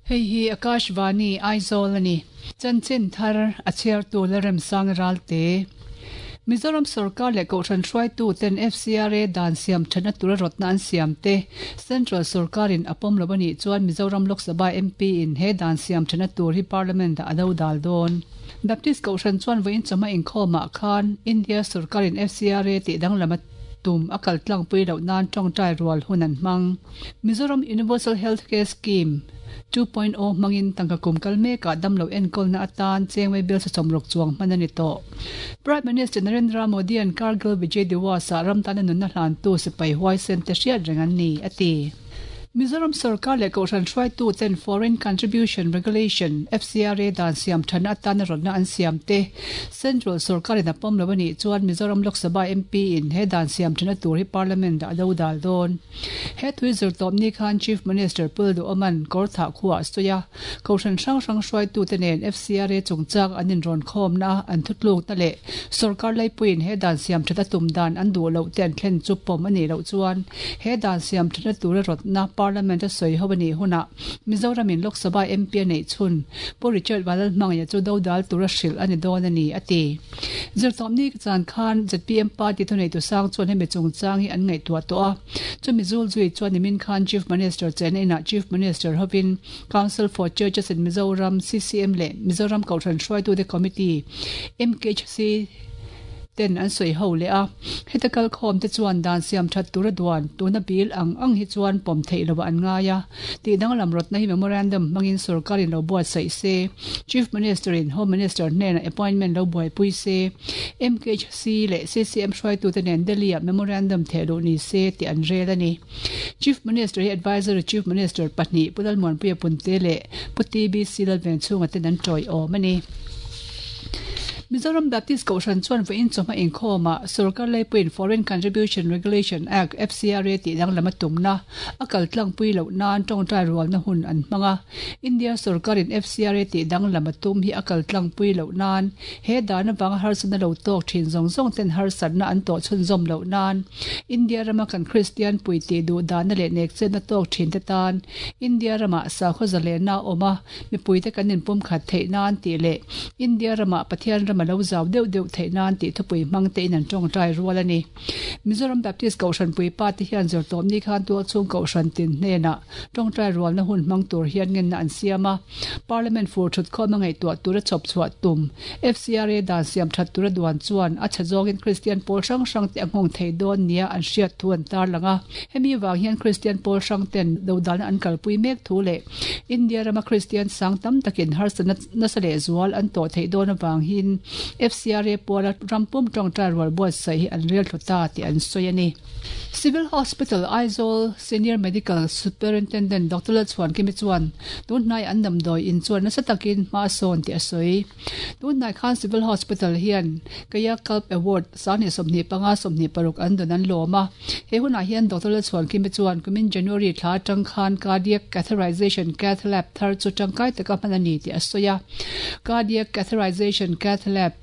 Hei hi Akashvani, Aizawl a ni. Chanchin thar a chhiartu Lalremsang Ralte. Mizoram sorkar leh Kohhran hruaitu ten FCRA dan siam thatna tura rawtna an siam te Central sorkarin a pawm lo a nih chuan Mizoram Lok Sabha MP in he dan siam thatna tur hi Parliament ah a do dal dawn. Baptist Kohhran chuan vawiin chawhma inkhawmah khan India sorkarin FCRA tih danglam a tum a kal tlangpui loh nan tawngtai rual hun an hmang. Mizoram Universal Health Care Scheme 2.0 hmangin tangka kum kal mekah damlo enkawlna atan chengmei bill sachawmruk chuang hman a ni tawh. Prime Minister Narendra Modi-a'n Kargil Vijay Diwas-ah ram tana nunna hlantu sipai huaisen te hriat reng an ni, a ti. Mizoram sorkar leh Kohhran hruaitu ten Foreign Contribution Regulation, FCRA, dan siam thatna atana rawtna an siam te Central sorkarin a pawm lo a nih chuan Mizoram Lok Sabha MP in he dan siam thatna tur hi Parliament ah a do dal dawn. He tui zirtawpni khan Chief Minister Pul Duhawman Kawrthah khuaah a sawi a, Kohhran hrang hrang hruaitute nen FCRA chungchang an inrawn khawmna an thutlukna leh sorkar laipuiin he dan siam that a tum dan an duh loh te an thlen chu pawm a nih loh chuan he dan siam thatna tura rawtna Parliament a sawi ho a nih hunah Mizoramin Lok Sabha MP a neih chhun Pu Richard Vanlalhmangaiha chu dodal tura hrilh a ni dawn a ni, a ti. Zirtawpni chan khan zpm party thuneitu sang chuan hemi chungchang hi an ngaihtuah tawh a, chumi zulzui chuan nimin khan Chief Minister chenna inah Chief Minister hovin Council for Churches in Mizoram, CCM, leh Mizoram Kohhran Hruaitute Committee, MKHC, ten an sawi ho leh a. Heta kalkhawm te chuan dan siam that tura duan tuna bill ang ang hi chuan pawm theih loh an ngai a. Tih danglam rawtna hi memorandum hmangin sorkarin lo buatsaih se, Chief Minister in Home Minister hnenah appointment lo buaipui se, MKHC leh CCM hruaitute nen Delhi-ah memorandum theh luh ni se tih an rel a ni. Chief Minister hi Advisory Chief Minister pahnih Pu Lalmuanpuia Punte leh Pu TBC Lalvenchhunga ten an tawiawm a ni. Mizoram Baptist Kohhran chuan vawiin chawhma inkhawmah Sorkar Laipuiin Foreign Contribution Regulation Act, FCRA, tih danglam a tumna a kal tlangpui loh nan tawngtai rualna hun an hmang a. India sorkarin FCRA tih danglam a tum hi a kal tlangpui loh nan He dan avanga harsatna lo tawk thin zawng zawng ten harsatna an tawh chhunzawm loh nan India rama kan Kristian pui tih duh danna leh nekchetna tawk thin te tan India ramah sakhaw zalenna a awm a, mipuite kan inpumkhat theih nan tih leh India ramah Pathian ram a lo zau deuh deuh theih nan tih thupui hmang tein an tawngtai rual a ni. Mizoram Baptist Kohhran puipa te hian zirtawpni khan tualchhung Kohhran tin hnenah tawngtai rualna hun hmang tur hian ngenna an siam a. Parliament fur thut khawm a ngaihtuah tura chhawp chhuah tum FCRA dan siam that tura duan chuan a chhe zawngin Kristian pawl hrang hrang te a nghawng thei dawn nia an hriat thu an tarlang a. Hemi vang hian Kristian pawl hrang ten dodalna an kalpui mek thu leh India rama Kristian sang tam takin harsatna nasa leh zual an tawh theih dawn avangin FCRA puala ram pum tawngtai rual buatsaih hi an rel thlu ta tih an sawi a ni. Civil Hospital, Aizawl Senior Medical Superintendent Doctor Lalchhuankimi chuan tunhnai an damdawi in chuan nasa takin hma a sawn tih a sawi. Tunhnai khan Civil Hospital hian Kaya Kalp Award 2025 26 an dawn an lawm a. He hunah hian Doctor Lalchhuankimi chuan kumin January thla atang khan Cardiac Catheterization Cath Lab thar chu tangkai taka hman a ni tih a sawi a. Cardiac Catheterization Cath Lab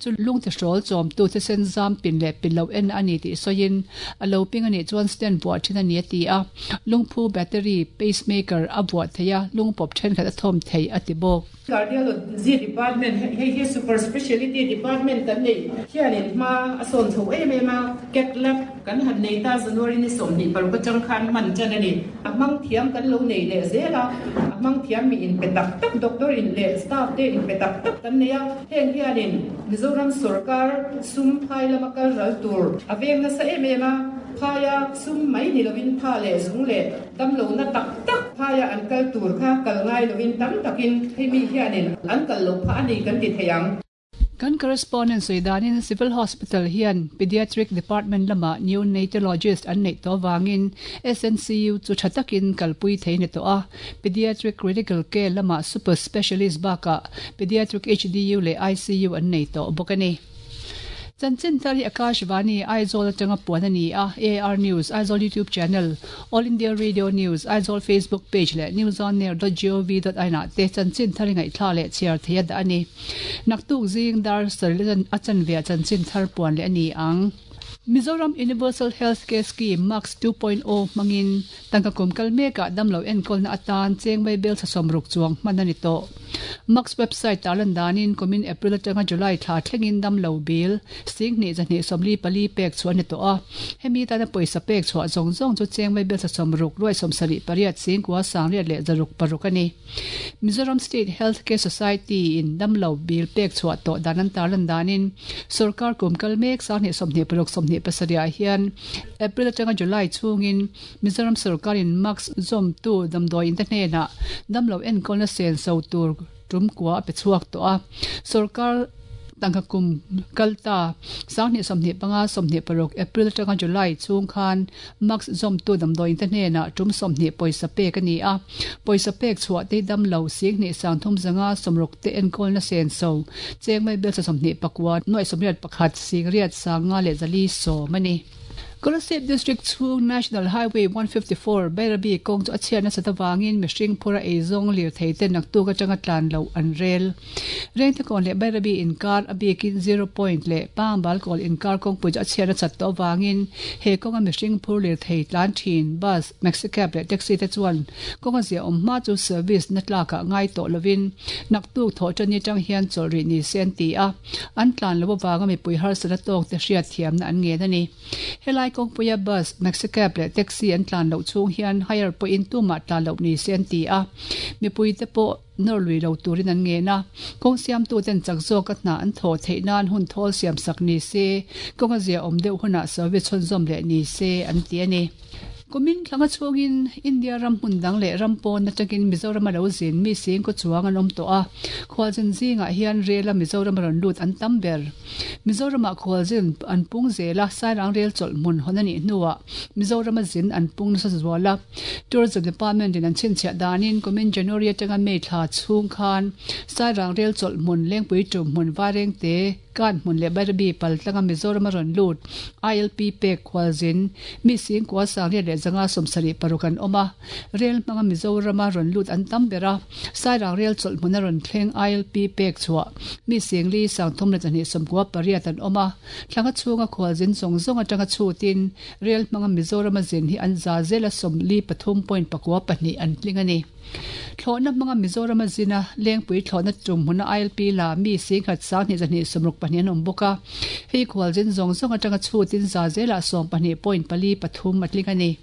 Chu lungte hrawl chawmtu thisen zam pin leh pin lo en a ni tih sawiin, a lo ping a nih chuan stand buah thin a ni a ti a. Lungphu battery, pacemaker, a buah thei a, lungpawp thenkhat a thawm thei a ti bawk. Cardiology Department, hei hi super speciality department kan neih hianin hma a sawn chho em em a, Cath lab kan han nei ta January ni 26 atang khan hman tan a ni. A hmang thiam kan lo nei leh zel a, a hmang thiam mi inpe tak tak doctor in leh staff te inpe tak tak kan nei a, heng hianin Mizoram sorkar sum phai lama kal ral tur a veng nasa em em a, phaia sum mai ni lovin tha leh zung leh damlohna tak tak phaia an kal tur kha kal ngai lovin tam takin hemi hianin an kal loh phah a ni kan ti thei ang. Kan correspondent sawi danin Civil Hospital hian Pediatric Department lamah Neonatologist an neih tawh avangin SNCU chu tha takin kalpui thei a ni tawh a. Pediatric Critical Care lamah Super Specialist bakah Pediatric HDU leh ICU an nei tawh bawk a ni. Chanchin thar hi Akashvani, Aizawl atanga puan a ni a, AR News, Aizawl YouTube Channel, All India Radio News, Aizawl Facebook Page leh newsonair dot gov dot in ah te chanchin thar i ngaihthlak leh chhiar thei a dah a ni. Naktuk zing dar sarih a chanve ah chanchin thar puan leh a ni ang. Mizoram Universal Health Care Scheme, MACS 2.0, hmangin tangka kum kal mekah damlo enkawlna atan cheng vaibel thla 60 chuang hman a ni tawh. MACS website tarlan danin kumin April atanga July thla thlengin damlo bill 10 224 pek chhuah a ni tawh a. Hemi tana pawisa pek chhuah zawng zawng chu cheng vaibel thla 60 ruai 78 singkua sangriat leh 606 a ni. Mizoram State Health Care Society in damlo bill pek chhuah tawh dan an tarlan danin sorkar kum kal mek 2026 27 ah hian April atanga July chhungin Mizoram sorkar in MACS zawmtu damdawi in te hnenah damlo enkawlna senso tur tum kua a pe chhuak tawh a. Sorkar tangka kum kal ta 2025 26 April atanga July chhung khan MACS zawmtu damdawi in te hnenah tum 20 pawisa pek a ni a. Pawisa pek chhuah te hi damlo 10 3 50 te enkawlna senso cheng mai bel 29 nuai 81 singriat sanga leh zali sawm a ni. Kolasib District chhung National Highway 154 Bairabi kawng chu a chhiat nasat avangin mihring phura eizawng lirthei te naktuk atanga tlan loh an rel. Rengtekawn leh Bairabi inkar a bikin Zero Point leh Pangbalkawl inkar kawngpui chu a chhiat nasat tawh avangin he kawnga mihring phur lirthei tlan thin bus, maxi cab leh taxi te chuan kawnga zia awm hma chu service na tlakah ngai tawh lovin naktuk thawh tani atang hian chawlh rih ni se an ti a. An tlan lo avanga mipui harsatna tawk te hriat thiamna an ngen a ni. Helai kawngpuia bus, maxi cab leh taxi an tlan loh chhung hian hire pawhin tumah tlan loh ni se an ti a. Mipui te pawh nawr lui lo turin an ngen a. Kawng siamtuten chak zawka hna an thawh theih nan hun thawl siam sak ni se, kawnga zia awm deuh hunah service chhunzawm leh ni se an ti a ni. Kumin thlanga chhungin India ram hmun dang leh ram pawn atangin Mizoram a lo zin mi singkaw chuang an awm tawh a, khualzin zingah hian rel a Mizoram a rawn lut an tam ber. Mizoramah khualzin an pung zel a, Sairang rel chawlh hmun hawn a nih hnuah Mizoram a zin an pung nasa zual a. Tourism Department in an chhinchhiah danin kumin January atanga May thla chhung khan Sairang rel chawlh hmun Lengpui tum hmun Vairengte, Kan hmun leh Bairabi pal tlanga Mizoram a rawn lut. ILP pek khualzin mi singkua sangriat leh zanga 76 an awm a. Rel hmanga Mizoram a rawn lut an tam ber a. Sairang rel chawlh hmun a rawn thleng ILP pek chhuah mi singli 3298 an awm a. Thlanga chhunga khualzin zawng zawng atanga chhutin rel hmanga Mizoram a zin hi an za zela 43.92 an tling a ni. Thlawhna hmanga Mizoram a zin a, Lengpui thlawhna tum hmuna ILP la mi singkhat 10 264 an awm bawk a. Hei khualzin zawng zawng atanga chhutin za zelah 12.43 a tling a ni.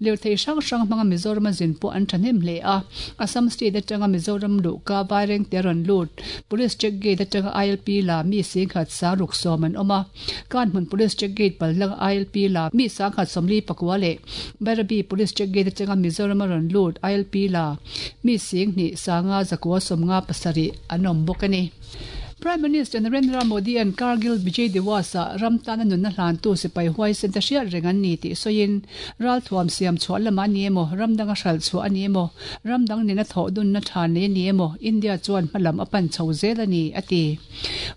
Lirthei hrang hrang hmanga Mizoram a zin pawh an thahnem hle a. Assam State atanga Mizoram luhka Vairengte a rawn lut. Police check gate atanga ILP la mi singkhat 610 an awm a. Kanhmun Police check gate pallang ILP la mi 1049 leh Bairabi Police check gate atanga Mizoram a rawn lut ILP la mi 10 597 an awm bawk a ni. Prime Minister Narendra Modi an Kargil Vijay Diwas ah ram tana nunna hlantu sipai huaisen te hriat reng an ni tih sawiin ralthuam siam chhuah lamah a ni emaw, ram danga hral chhuah a ni emaw, ram dang nena thawh dunna tha nei a ni emaw, India chuan hmalam a pan chho zel a ni, a ti.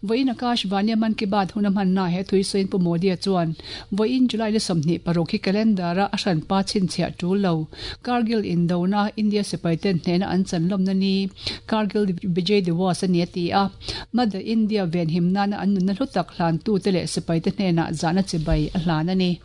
Vawiin Akashvani Mann Ki Baat hun a hmanna he thui sawiin Pu Modi-a chuan vawiin July ni 26 hi calendar-a a hranpa chhinchhiah tul lo Kargil indona India sipaiten hnehna an chanlawmna ni Kargil Vijay Diwas a ni a ti a. Mother India venhim nana an nunna hlu tak hlantute leh sipaite hnenah zahna chibai a hlan a ni.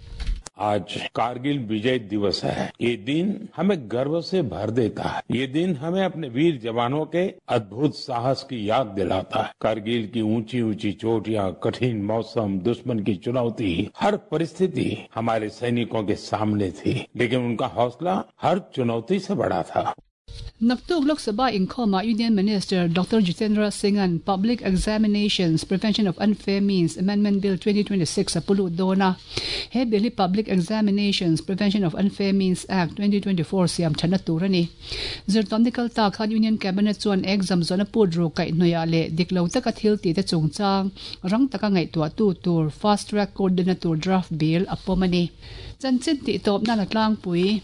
आज कारगिल विजय दिवस है। ये दिन हमें गर्व से भर देता है। ये दिन हमें अपने वीर जवानों के अद्भुत साहस की याद दिलाता है। कारगिल की ऊंची ऊंची चोटियां, कठिन मौसम, दुश्मन की चुनौती, हर परिस्थिति हमारे सैनिकों के सामने थी, लेकिन उनका हौसला हर चुनौती से बड़ा था। Naktuk Lok Sabha inkhawmah Union Minister Doctor Jitendra Singh-a'n Public Examinations, Prevention of Unfair Means, Amendment Bill 2026 a pu lut dawn a. He bill hi Public Examinations, Prevention of Unfair Means, Act, 2024 siam thatna tur a ni. Zirtawmni kal ta khan Union Cabinet chuan exam zawhna put ru kaih hnuaiah leh dik lo taka thil tih te chungchang rang taka ngaihtuahtu tur Fast Track Court dina tur draft bill a pawm a ni. Chanchin tih tawp nan a tlangpui.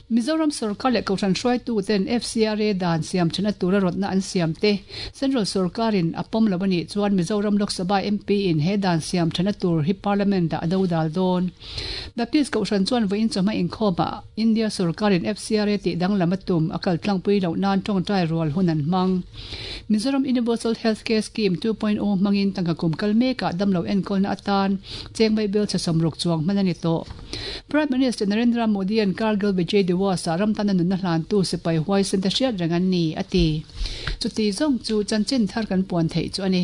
Mizoram sorkar leh Kohhran hruaituten FCRA dan siam thana tura rawtna an siam te Central sorkarin a pawm lo a nih chuan Mizoram Lok Sabha MP in he dan siam thana tur hi Parliament ah a dodal dawn. Baptist Kohhran chuan vawiin chawhma inkhawmah India sorkarin FCRA tih danglam a tum a kaltlangpui loh nan tawngtai rual hun an hmang. Mizoram Universal Healthcare Scheme 2.0 hmangin tangka kum kal mekah damlo enkawlna atan chengmai bill chhe sawmruk chuang hman a ni tawh. Prime Minister Narendra Modi-a'n Kargil Vijay Diwas-ah ram tana nunna hlantu sipai huaisen te hriat reng an ni, a ti. Chuti zawng chu chanchin thar kan puan theih chu a ni.